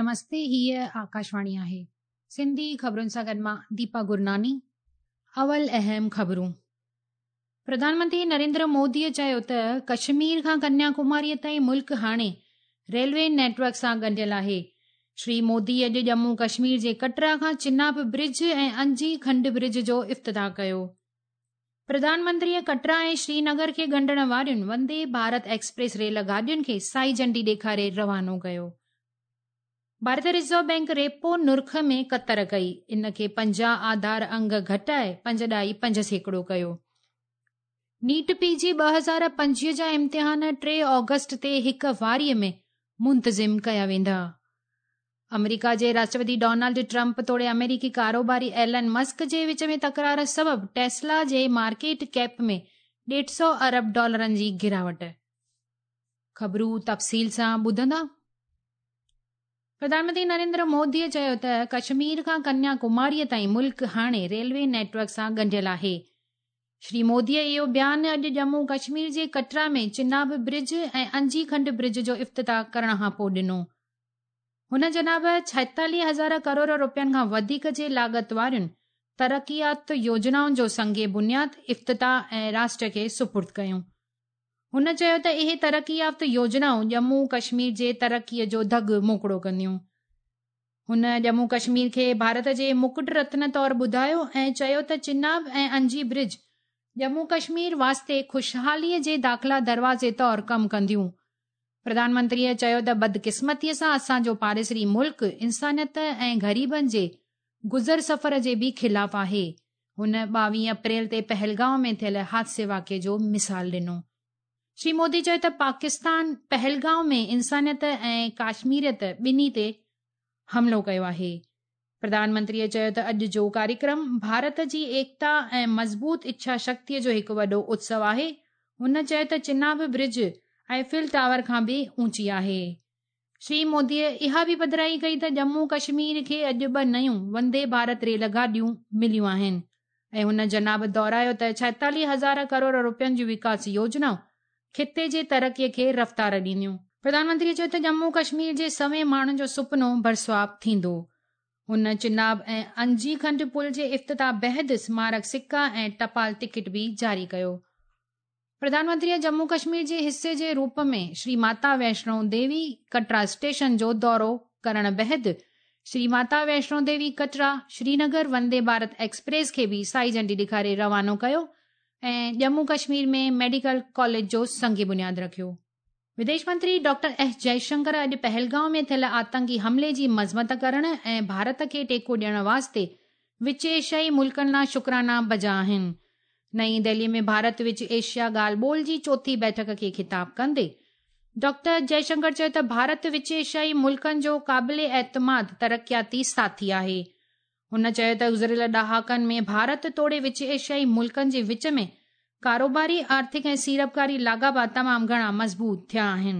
نمستي هيء آڪاشواڻي آهي. سنڌي خبرن سان گڏ مان ديپا گرناني. اول اهم خبرون. پرڌان منتري نريندر موديء چيو ته ڪشمير کان ڪنيا ڪماريء تائين ملڪ هاڻي ريلوي نيٽ ورڪ سان ڳنڍيل آهي. شري مودي اڄ ڄمون ڪشمير جي ڪٽرا کان چناب برج ۽ انجي کنڊ برج جو افتتاح ڪيو. پرڌان منتريء ڪٽرا ۽ شرينگر کي ڳنڍڻ وارين وندي ڀارت ايڪسپريس ريل گاڏين کي سائي جهنڊي ڏيکاري روانو ڪيو. ڀارتي رزرو بئنڪ ريپو نرخ ۾ ڪتر ڪئي، ان کي 50 آڌار انگ گهٽائي 5.5% ڪيو. نيٽ پي جي 2025 جا امتحان 3 آگسٽ تي هڪ واري ۾ منتظم ڪيا ويندا. آمريڪا جي راشٽرپتي ڊونلڊ ٽرمپ توڙي آمريڪي ڪاروباري ايلن مسڪ جي وچ ۾ تڪرار سبب ٽيسلا جي مارڪيٽ ڪيپ ۾ 150 ارب ڊالرن جي گراوٽ. خبرون تفصيل سان ٻڌندا. پرڌان منتري نريندر مودي چيو ته ڪشمير کان ڪنيا ڪماري تائين ملڪ هاڻي ريلوي نيٽ ورڪ سان ڳنڍيل آهي. شري مودي اهو بيان اڄ ڄمون ڪشمير جي ڪٽرا ۾ چناب برج ۽ انجي کنڊ برج جو افتتاح ڪرڻ کانپوء ڏنو. هن جناب 46 هزار ڪروڙ روپين کان وڌيڪ جي لاڳت وارين ترقيات يوجنائن جو سنگ بنياد، افتتاح ۽ راشٽر کي سپرد ڪيون. هن چيو ته اهي ترقي يافته يوجنائون ڄمون ڪشمير جي ترقي جو دڳ موڪڙو ڪنديون. هن ڄمون ڪشمير کي ڀارت جي مڪٽ رتن طور ٻڌايو ۽ چيو ته چناب ۽ انجي برج ڄمون ڪشمير واسطي خوشحالي جي داخلا دروازي طور ڪم ڪنديون. پرڌان منتريء چيو ته بدقسمتيء سان اسان جو پاڙيسري ملڪ انسانيت ۽ غريبن جي گذر سفر جي به خلاف آهي. هن 22 اپريل تي پهلگام ۾ ٿيل حادثي واقعي جو مثال ڏنو. شري مودي چيو ته پاڪستان پهلگام ۾ انسانيت ۽ ڪاشميريت ٻنهي تي حملو ڪيو آهي. پرڌان منتريء چيو ته اڄ جو ڪاريڪرم ڀارت جي ايڪتا ۽ مضبوط اڇا شڪتيء جو هڪ وڏو اتسو آهي. هن چيو ته چناب برج ايفل ٽاور کان به اوچي آهي. شري موديء اها به پڌرائي ڪئي ته ڄمون ڪشمير کي اڄ ٻه نيون وندي ڀارت ريل گاڏيون مليون آهن ۽ هن جناب دهرايو ته 46 هزار ڪروڙ روپين جون وڪاس يوجنائون خطي جي ترقي کي رفتار ڏينديون. پرڌان منتري چيو ته ڄمون ڪشمير جي سوين ماڻهن جو سپنو برسواب ٿيندو. هن چناب ۽ انجي کنڊ پل جي افتتاح بعد سمارڪ سڪا ۽ ٽپال ٽڪيٽ به جاري ڪيو. پرڌان منتري ڄمون ڪشمير جي حصي جي روپ ۾ شري ماتا ويشنو ديوي ڪٽرا اسٽيشن جو دورو ڪرڻ بعد شري ماتا ويشنو ديوي ڪٽرا شرينگر وندي ڀارت ايڪسپريس کي به سائي جهنڊي ڏيکاري روانو ڪيو ۽ ڄمون ڪشمير ۾ ميڊيڪل ڪاليج جو سنگ بنياد رکيو. وديش منتري ڊاڪٽر ايس جئشنڪر اڄ پهلگام ۾ ٿيل آتنڪي حملي جي مذمت ڪرڻ ۽ ڀارت کي ٽيڪو ڏيڻ واسطي وچ ايشيائي ملڪن لا شڪرانا بجا آهن. نئين دهلي ۾ ڀارت وچ ايشيا ڳالهه ٻولهه جي چوٿين بيٺڪ کي خطاب ڪندي ڊاڪٽر جئشنڪر چيو ته ڀارت وچ ايشيائي ملڪن جو قابل اعتماد ترقياتي ساٿي آهي. هن چيو ته گذريل ڏهاڪن ۾ ڀارت توڙي وچ ايشيائي ملڪن جي وچ ۾ ڪاروباري، آرٿڪ ۽ سيڙپڪاري لاڳاپا تمام گهڻا مضبوط ٿيا آهن.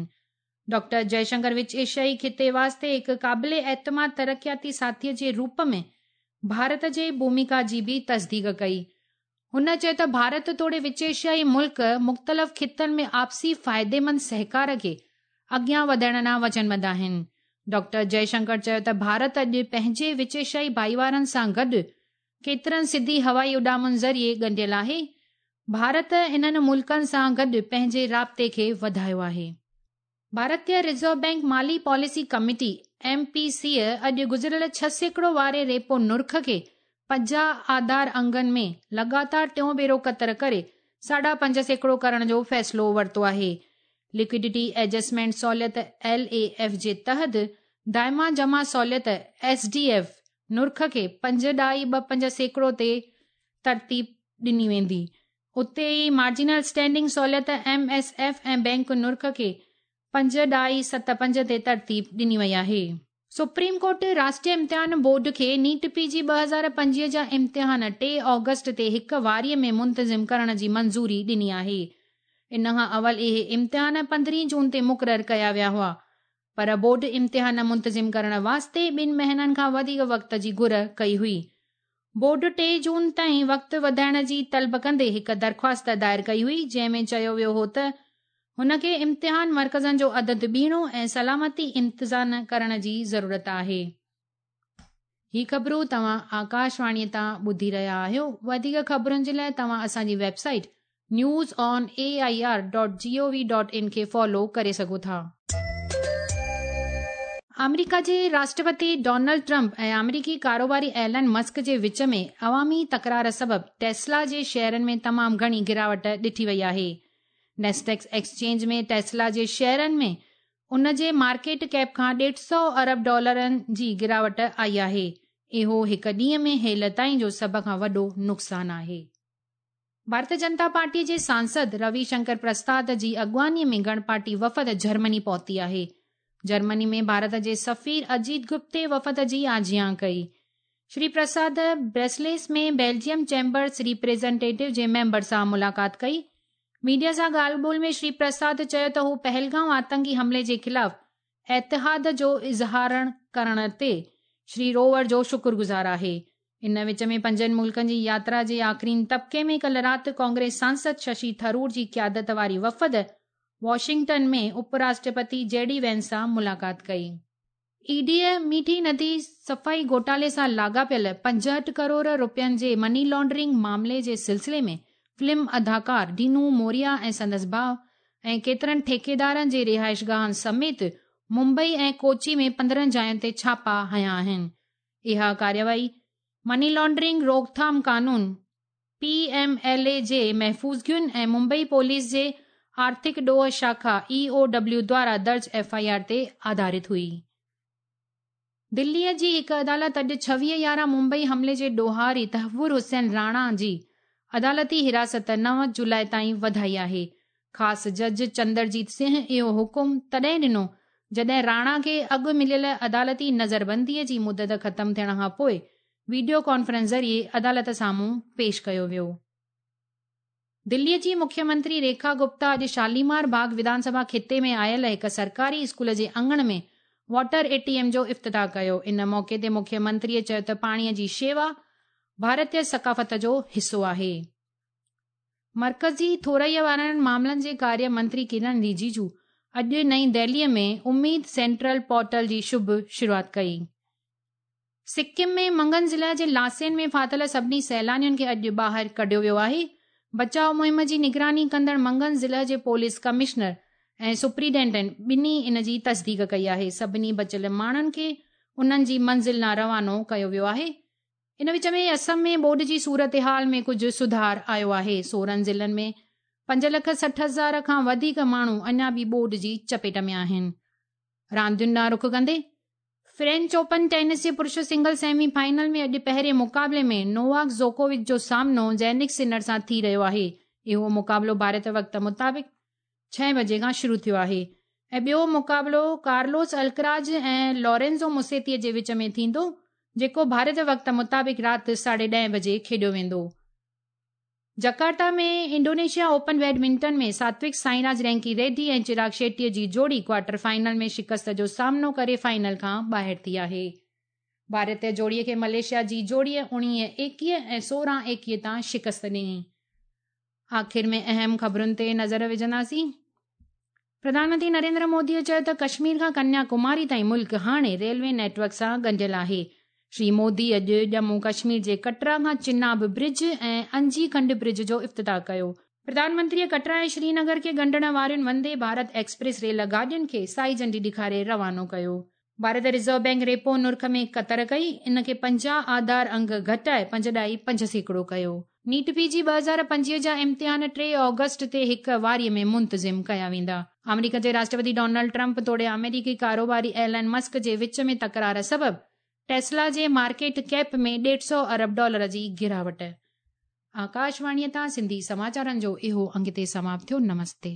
ڊاڪٽر جئشنڪر وچ ايشيائي خطي واسطي هڪ قابل اعتماد ترقياتي ساٿي جي روپ ۾ ڀارت جي ڀوميڪا جي به تصديق ڪئي. هن چيو ته ڀارت توڙي وچ ايشيائي ملڪ مختلف خطن ۾ آپسي فائديمند سهڪار کي اڳيان وڌائڻ لا وچنبڌ آهن. ڊاڪٽر جئشنڪر چيو ته ڀارت اڄ پنهنجي وچ ايشيائي ڀائيوارن سان گڏ ڪيترن سڌي هوائي اڏامن ذريعي ڳنڍيل آهي، ڀارت انهن ملڪن سان گڏ پنهنجي رابطي کي وڌايو آهي. ڀارتي رزرو بئنڪ مالي پاليسي ڪميٽي، ايم پي سي، اڄ گذريل 6% واري ريپو نرخ کي 50 آڌار انگن ۾ لڳاتار ٽيون ڀيرو ڪتر ڪري 5.5% ڪرڻ جو فيصلو ورتو آهي. ليڪوڊٽي ايڊجسٽمينٽ سهولت، ايل اي ايف، جي تحت دائما جمع سهولت، ايس ڊي ايف، نرخ کي 5.25% تي ترتيب ڏني ويندي. اتي ئي مارجنل اسٽينڊنگ سهولت، ايم ايس ايف، ۽ بئنڪ نرخ کي 5.75 تي ترتيب ڏني وئي آهي. سپريم ڪورٽ راشٽريه امتحان بورڊ کي نيٽ پي جي 2025 جا امتحان 3 آگسٽ تي هڪ واري ۾ منتظم ڪرڻ جي منظوري ڏني آهي. ان کان اول اهي امتحان 15 جون تي مقرر ڪيا ويا هئا پر بورڊ امتحان منتظم ڪرڻ واسطي ٻن مهينن کان وڌيڪ وقت جي گهر ڪئي هئي. بورڊ 3 جون تائين وقت وڌائڻ جي طلب ڪندي هڪ درخواست دائر ڪئي هئي جنهن ۾ چيو ويو هو ته هن کي امتحان مرڪزن جو عدد ٻيڻو ۽ سلامتي انتظام ڪرڻ جي ضرورت آهي. هي خبرون توهان آڪاشواڻي تان ٻڌي رهيا آهيو. وڌيڪ خبرن جي لاء توهان اسان جي website news on A I R dot G O V dot in کي فالو ڪري سگهو ٿا. آمريڪا جي راشٽرپتي ڊونلڊ ٽرمپ ۽ آمريڪي ڪاروباري ايلن مسڪ جي وچ ۾ عوامي تڪرار سبب ٽيسلا جي شيئرن ۾ تمام گهڻي گراوٽ ڏٺي وئي آهي. نيسڊيڪ ايڪسچينج ۾ ٽيسلا جي شيئرن ۾ ان جي مارڪيٽ ڪيپ کان ڏيڍ سئو ارب ڊالرن جي گراوٽ آئي آهي. اهو هڪ ڏينهن ۾ هيل تائين جو سڀ کان وڏو نقصان آهي. ڀارتي جنتا پارٽي جي سانسد روي شنڪر پرساد جي اڳواڻي ۾ گهڻ پارٽي وفد جرمني پهتي آهي. جرمني ۾ ڀارت جي سفير اجيت گپتي وفد جي آجيان ڪئي. Shri Prasad Brussels ۾ Belgium chambers representative جي ميمبر سان ملاقات ڪئي. ميڊيا سان ڳالهه ٻولهه ۾ شري پرساد چيو ته هو پهلگائون آتنڪي حملي جي خلاف اتحاد جو اظهارڻ ڪرڻ تي شري روور جو شڪرگذار آهي. ان وچ ۾ پنجن ملڪن جي ياترا جي آخرين طبقي ۾ ڪلهه رات ڪانگريس سانسد ششي ٿرور جي قيادت واري وفد واشنگٽن ۾ اپ راشٽرپتي جي ڊي وينس سان ملاقات ڪئي. اي ڊيء ميٺي ندي صفائي گهوٽالي سان لاڳاپيل 65 ڪروڙ رپين جي مني لانڊرنگ معاملي جي سلسلي ۾ فلم اداڪار ڊينو موريا ۽ سندس ڀاء ۽ ڪيترن ٺيڪيدارن جي رهائشگاهن سميت ممبئي ۽ ڪوچي ۾ 15 جاين تي ڇاپا هنيا آهن. اها ڪارروائي مني لانڊرنگ روڪٿام قانون، پي ايم ايل اي، جي محفوظگين ۽ ممبئي پوليس جي آرٿڪ ڏوهه شاخا، اي او ڊبليو، دوارا درج ايف I R تي آڌارت هئي. دليء جي هڪ عدالت اڄ 26/11 ممبئي حملي جي ڏوهاري تهور حسين راڻا جي عدالتي حراست 9 جولاء تائين وڌائي آهي. خاص جج چندرجيت سنگهه اهو حڪم تڏهن ڏنو جڏهن راڻا کي اڳ مليل عدالتي نظربنديء جي مدت ختم ٿيڻ کان پوء ويڊيو ڪانفرنس ذريعي عدالت سامهون پيش ڪيو ويو. دلي جي مکيه منتري ريکا گپتا اڄ شاليمار باغ وڌان سڀا خطي ۾ آيل هڪ سرڪاري اسڪول جي اڱڻ ۾ واٽر اي ٽي ايم جو افتتاح ڪيو. ان موقعي تي مکيه منتريء چيو ته پاڻي جي شيوا ڀارتي ثقافت جو حصو آهي. مرڪزي ٿورئي وارن معاملن جي ڪاريه منتري ڪرن رجيجو اڄ نئين دهليء ۾ اميد سينٽرل پورٽل جي شڀ شروعات ڪئي. سڪم ۾ منگن ضلع جي لاسين ۾ ڦاٿل سڀني سيلانين کي اڄ ٻاهر ڪڍيو ويو آهي. بچاء مهم جي نگراني ڪندڙ منگن ضلع جي پوليس ڪمشنر ۽ سپرنٽينڊنٽ ٻنهي ان جي تصديق ڪئي آهي. سڀني بچيل ماڻهن کي انهن جي منزل ڏانهن روانو ڪيو ويو آهي. ان وچ ۾ اسم ۾ ٻوڏ جي صورتحال ۾ ڪجهه سڌار آيو آهي. 16 ضلعن ۾ 5,60,000 کان وڌيڪ ماڻهو اڃا به ٻوڏ جي چپيٽ ۾ آهن. راندين ڏانهن رخ ڪندي فرينچ اوپن ٽينس جي پرش سنگل سيمي فائنل ۾ اڄ پهرين مقابلي ۾ نوواڪ جوڪووچ جو سامنو جينڪ سنر سان ٿي رهيو آهي. اهو مقابلو ڀارت وقت مطابق ڇهين بجي کان شروع ٿيو آهي ۽ ٻيو مقابلو ڪارلوس الڪراز ۽ لورينزو موسيتي جي وچ ۾ ٿيندو جيڪو ڀارت وقت مطابق رات ساڍي ڏهين بجي کيڏيو ويندو. Jakarta ۾ Indonesia open badminton ۾ Satwik Sairaj Ranki Reddy ۽ Chirag Shetty جي جوڙي ڪوارٽر فائنل ۾ شڪست جو سامنو ڪري فائنل کان ٻاهر ٿي آهي. ڀارتي جوڙي کي ملائيشيا جي جوڙي 19 21 ۽ 16 21 تان شڪست ڏني. آخر ۾ اهم خبرن تي نظر وجهنداسين. پرڌان منتري نريندر مودي چيو ته ڪشمير کان ڪنيا ڪماري تائين ملڪ هاڻي ريلوي نيٽ ورڪ سان ڳنڍيل آهي. شري مودي اڄ ڄمون ڪشمير جي ڪٽرا کان چناب برج ۽ انجي کنڊ برج جو افتتاح ڪيو. پرڌان منتري ڪٽرا ۽ شرينگر کي ڳنڍڻ وارين وندي ڀارت ايڪسپريس ريل گاڏين کي سائي جهنڊي ڏيکاري روانو ڪيو. ڀارت رزرو بئنڪ ريپو نرخ ۾ ڪتر ڪئي، ان کي 50 آڌار انگ گهٽائي 5.5% ڪيو. نيٽ پي جي 2025 جا امتحان 3 آگسٽ تي هڪ واري ۾ منتظم ڪيا ويندا. آمريڪا جي راشٽرپتي ڊونلڊ ٽرمپ توڙي آمريڪي ڪاروباري ايلن مسڪ جي وچ ۾ تڪرار سبب ٽيسلا جي مارڪيٽ ڪيپ ۾ ڏيڍ سئو ارب ڊالر جي گراوٽ. آڪاشواڻيء تان سنڌي سماچارن جو اهو انگ هتي سماپت ٿيو. نمستي.